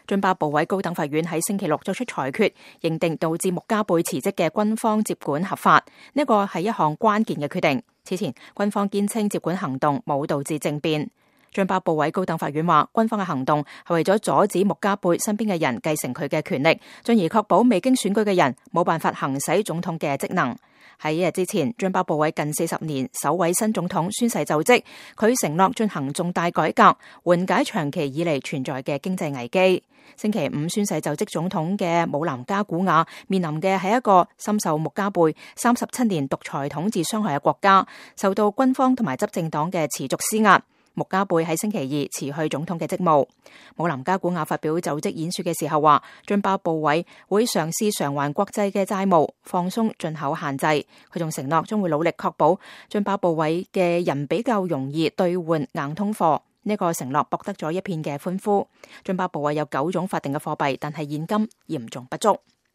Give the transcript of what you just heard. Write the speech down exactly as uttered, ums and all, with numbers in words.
津巴布韋高等法院喺星期六作出裁決，認定導致穆加貝辭職嘅軍方接管合法。呢個係一項關鍵嘅決定。此前，軍方堅稱接管行動冇導致政變。津巴布韋高等法院話，軍方嘅行動係為咗阻止穆加貝身邊嘅人繼承佢嘅權力，進而確保未經選舉嘅人冇辦法行使總統嘅職能。喺一日之前，津巴布韋近四十年首位新總統宣誓就職，佢承諾進行重大改革，緩解長期以嚟存在嘅經濟危機。星期五宣誓就職總統嘅姆南加古瓦面臨嘅係一個深受穆加貝三十七年獨裁統治傷害嘅國家，受到軍方同埋執政黨嘅持續施壓。穆加貝喺星期二辭去總統嘅職務。姆南加古瓦發表就職演說嘅時候話，津巴布韋會嘗試償還國際嘅債務，放鬆進口限制。佢仲承諾將會努力確保津巴布韋嘅人比較容易兌換硬通貨。呢個承諾博得咗一片嘅歡呼。津巴布韋有九種法定嘅貨幣，但係現金嚴重不足。